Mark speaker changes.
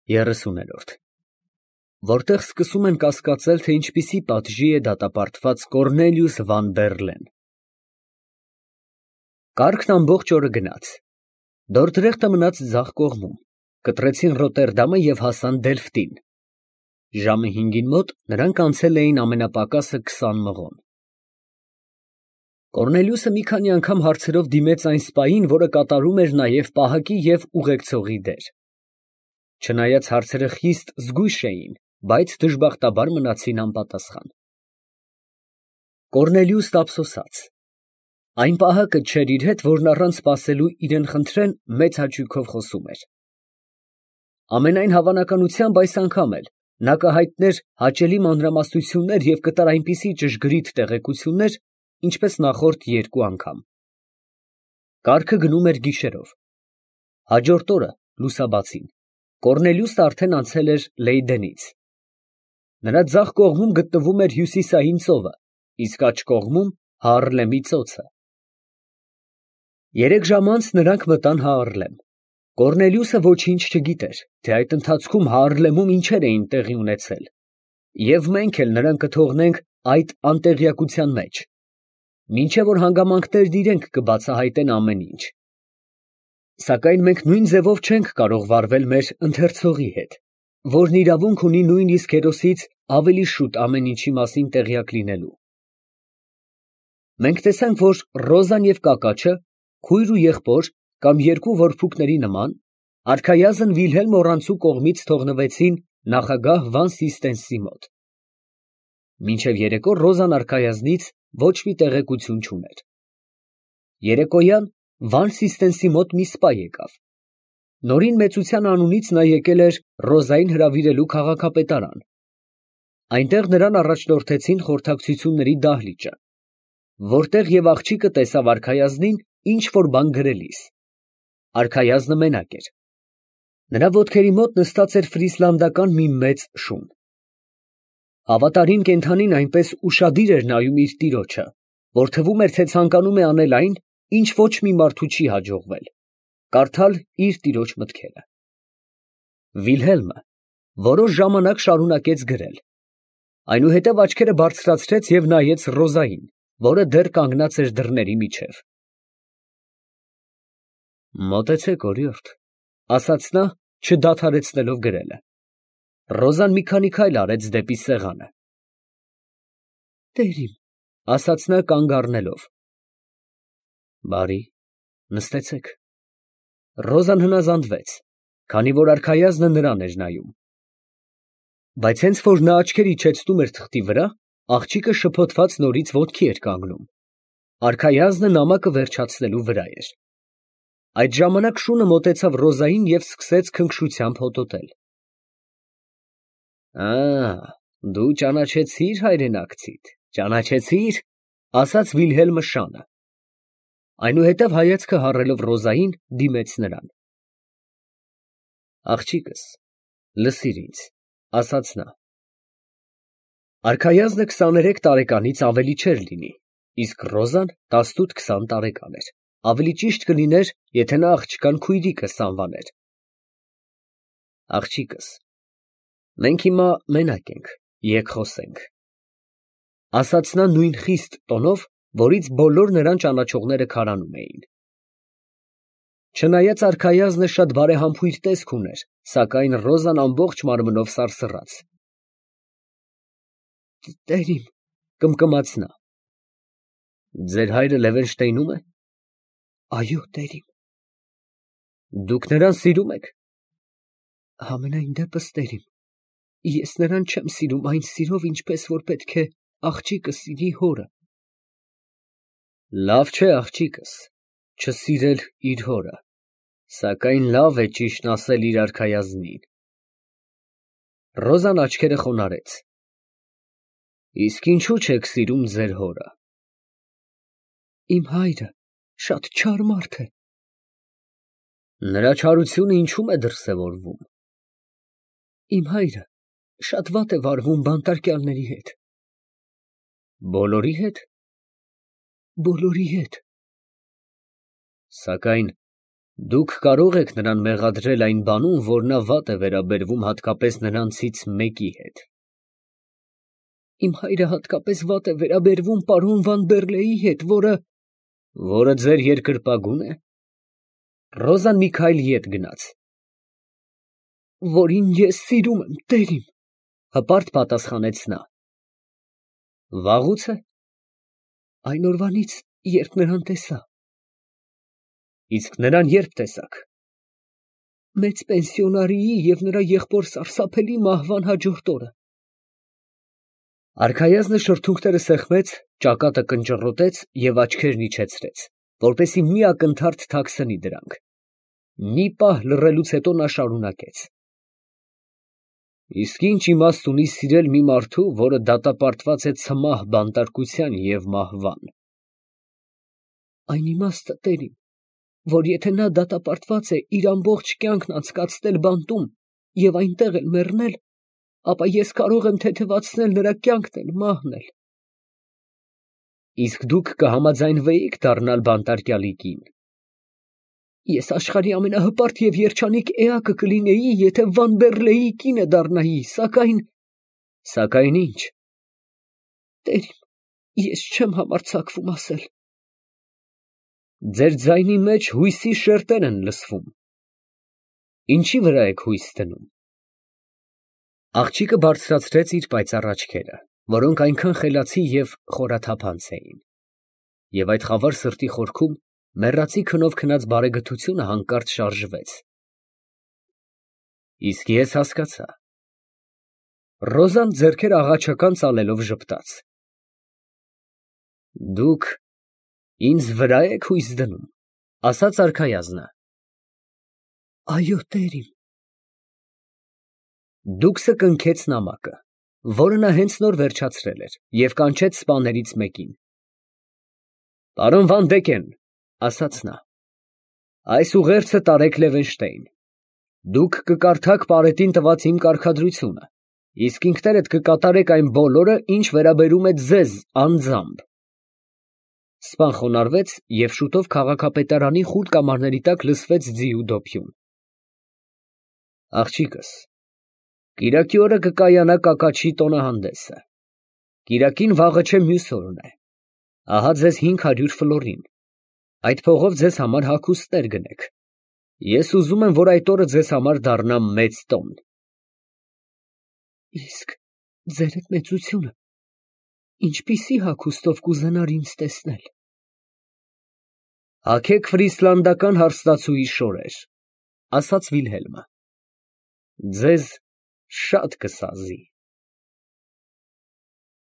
Speaker 1: 30-րդ Որտեղ սկսում են կասկածել, թե ինչպիսի պատժի է դատապարտված Կոռնելիուս վան Բեռլեն։ Կառքն ամբողջ օրը գնաց։ Դորդրեխտը մնաց ձախ կողմում, կտրեցին Ռոտերդամը և հասան Դելֆտին։ Ժամը 5-ին մոտ նրանք անցել էին ամենապակասը 20 մղոն։ Կոռնելիուսը մի քանի անգամ հարցերով դիմեց այն սպային, որը կատարում էր նաև պահակի և ուղեկցողի դեր։ Չնայած հարցերը խիստ զգույշ էին, բայց դժբախտաբար մնացին անպատասխան։ Կոռնելիուսն ափսոսաց։ Այն պահակը չէր իր հետ, որն առանց սպասելու իրան խնդրեն, մեծ հաճույքով խոսում էր։ Ամենայն հավանականությամբ այս անգամ էլ նա կհայտներ հաճելի մանրամասնություններ և կտար այնպիսի ճշգրիտ տեղեկություններ, ինչպես նախորդ երկու անգամ։ Կառքը գնում էր գիշերով։ Հաջորդ օրը լուսաբացին Կոռնելիուսն արդեն անցել էր Լեյդենից։ Նրա ձախ կողմում գտնվում էր Հյուսիսային ծովը, իսկ աջ կողմում Հաառլեմի ծոցը։ 3 ժամ անց նրանք մտան Հաառլեմ։ Կոռնելիուսը ոչինչ չգիտեր, թե այդ ընթացքում Հաառլեմում ինչեր էին տեղի ունեցել, և մենք էլ նրան կթողնենք այդ անտեղյակության մեջ, մինչև որ հանգամանքներն իրենք կբացահայտեն ամեն ինչ։ Սակայն մենք նույն ձևով չենք կարող վարվել մեր ընթերցողի հետ, որն իրավունք ունի նույնիսկ հերոսից ավելի շուտ ամեն ինչի մասին տեղյակ լինելու։ Մենք տեսանք, որ Ռոզան և Կակաչը, քույր ու եղբոր կամ երկու որբուքների նման, արքայազն Վիլհելմ օռանցու կողմից թողնվեցին նախագահ Վան Սիստենսի մոտ։ Մինչև երեկո Ռոզան արքայազնից ոչ մի տեղեկություն չուներ։ Երեկոյան Վան Սիստենսի մոտ մի սպա եկավ։ Նորին մեծության անունից նա եկել էր Ռոզային հրավիրելու քաղաքապետարան։ Այնտեղ նրան առաջնորդեցին խորհրդակցությունների դահլիճը, որտեղ և աղջիկը տեսավ արքայազնին ինչ որ բան գրելիս։ Արքայազնը մենակ էր։ Նրա ոտքերի մոտ նստած էր ֆրիսլանդական մի մեծ շուն։ Հավատարիմ կենդանին այնպես ուշադիր էր նայում իր տիրոջը, որ թվում էր, թե ցանկանում է անել այն, ինչ ոչ մի մարդու չի հաջողվել, կարդալ իր տիրոջ մտքերը։ Վիլհելմը որոշ ժամանակ շարունակեց գրել, այնուհետև աչքերը բարձրացրեց և նայեց Ռոզային, որը դեռ կանգնած էր դռների միջև։ Մոտեցեք, օրիորդ, ասաց նա, չդադարեցնելով գրելը։ Ռոզան մի քանի քայլ արեց դեպի սեղանը։ Տերիմ, ասաց նա կանգ առնելով։ Բարի, նստեցեք։ Ռոզան հնազանդվեց, քանի որ արքայազնը նրան էր նայում։ Բայց հենց որ նա աչքեր իջեցնում էր թղթի վրա, աղջիկը շփոթված նորից ոտքի էր կանգնում։ Արքայազնը նամակը վերջացնելու վրա էր։ Այդ ժամանակ շունը մոտեցավ Ռոզային և սկսեց քնքշությամբ հոտոտել։ Դու ճանաչեցի՞ր հայրենակցիդ, ճանաչեցի՞ր, ասաց Վիլհելմը շանը։ Այնուհետև հայացքը հառելով Ռոզային, դիմեց նրան։ Աղջիկս, լսիր ինձ, ասաց նա։ Արքայազնը 23 տարեկանից ավելի չէր լինի, իսկ Ռոզան 18-20 տարեկան էր, ավելի ճիշտ կլիներ, եթե նա աղջկան քույրիկս անվաներ։ Աղջիկս, մենք հիմա մենակ ենք, եկ խոսենք, ասաց նա նույն խիստ տոնով, որից բոլոր նրան ճանաչողները քարանում էին։ Չնայած արքայազնը շատ բարեհամբույր տեսք ուներ, սակայն Ռոզան ամբողջ մարմնով սարսռաց։ Տերիմ, կմկմաց նա։ Ձեր հայրը Լևենշտեյնո՞ւմ է։ Այո, տերիմ։ Դուք նրան սիրում եք։ Համենայն դեպս, տերիմ, ես նրան չեմ սիրում այն սիրով, ինչպես որ պետք է աղջիկը սիրի հորը։ Լավ չէ, աղջիկս, չսիրել իր հորը, սակայն լավ է ճիշտն ասել իր արքայազնին։ Ռոզան աչքերը խոնարհեց։ Իսկ ինչու չեք սիրում ձեր հորը։ Իմ հայրը շատ չար մարդ է։ Նրա չարությունը ինչու՞մ է դրսևորվում։ Իմ հայրը շատ վատ է վարվում բանտարկյալների հետ։ Բոլորի հետ։ Բոլորի հետ։ Սակայն Դուք կարող եք նրան մեղադրել այն բանում, որ նա վատ է վերաբերվում հատկապես նրանցից մեկի հետ։
Speaker 2: Իմ հայրը հատկապես վատ է վերաբերվում պարոն Վան Բերլեի հետ,
Speaker 1: որը ձեր երկրպագու՞ն է։ Ռոզան մի քայլ ետ գնաց։
Speaker 2: Որին ես սիրում եմ, տերիմ,
Speaker 1: հպարտ պատասխանեց նա։ Վաղուց է։
Speaker 2: Այն օրվանից, երբ նրան տեսա։
Speaker 1: Իսկ նրան երբ տեսաք։
Speaker 2: Մեծ պենսիոնարիի և նրա եղբոր սարսափելի մահվան հաջորդ օրը։
Speaker 1: Արքայազնը շրթունքները սեղմեց, ճակատը կնճռոտեց և աչքերն իջեցրեց, որպեսզի մի ակնթարթ թաքցնի դրանք։ Մի պահ լռելուց հետո նա շարունակեց. Իսկ ինչ իմաստ ունի սիրել մի մարդու, որը դատապարտված է ցմահ բանտարկության և մահվան։
Speaker 2: Այն իմաստը, տերիմ, որ եթե նա դատապարտված է իր ամբողջ կյանքն անցկացնել բանտում և այնտեղ էլ մեռնել, ապա ես կարող եմ թեթևացնել նրա կյանքն էլ մահն էլ։
Speaker 1: Իսկ դուք կհամաձայնվեիք դառնալ բանտարկյալի կին։
Speaker 2: Ես աշխարհի ամենահպարտ և երջանիկ էակը կլինեի, եթե Վան Բերլեի կինը դառնայի, սակայն…
Speaker 1: Սակայն ի՞նչ։
Speaker 2: Տերիմ, ես չեմ համարձակվում ասել։
Speaker 1: Ձեր ձայնի մեջ հույսի շերտեր են լսվում։ Ինչի վրա եք հույս դնում։ Աղջիկը բարձրացրեց իր պայծառ աչքերը, որոնք այնքան խելացի և խորաթափանց էին, և այդ խավար սրտի խորքում մեռածի քնով քնած բարեգթությունը հանկարծ շարժվեց։ Իսկ ես հասկացա։ Ռոզան ձեռքերը աղաչական ծալելով ժպտաց։ Դուք ինձ վրա եք հույս դնում, ասաց արքայազնը։
Speaker 2: Այո, տերիմ։
Speaker 1: Դուքսը կնքեց նամակը, որը նա հենց նոր վերջացրել էր, և կանչեց սպաներից մեկին։ Պարոն Վանդեկեն, ասաց նա, այս ուղերձը տարեք Լևենշտեին։ Դուք կկարդաք պարետին տված իմ կարգադրությունը, իսկ ինքներդ կկատարեք այն բոլորը, ինչ վերաբերում է ձեզ անձամբ։ Սպան խոնարհվեց, և շուտով քաղաքապետարանի խուլ կամարների տակ լսվեց ձի ու դոփյուն։ Աղջիկս, կիրակի օրը կկայանա կակաչի տոնահանդեսը։ Կիրակին վաղը չէ, մյուս օրն է։ Ահա ձեզ 500 ֆլորին։ Այդ փողով ձեզ համար հագուստներ գնեք։ Ես ուզում եմ, որ այդ օրը ձեզ համար դառնա մեծ տոն։
Speaker 2: Իսկ ձերդ մեծությունը ինչպիսի հագուստով կուզենար ինձ տեսնել։
Speaker 1: Հագեք ֆրիսլանդական հարսնացուի շորեր, ասաց Վիլհելմը։ Ձեզ շատ կսազի։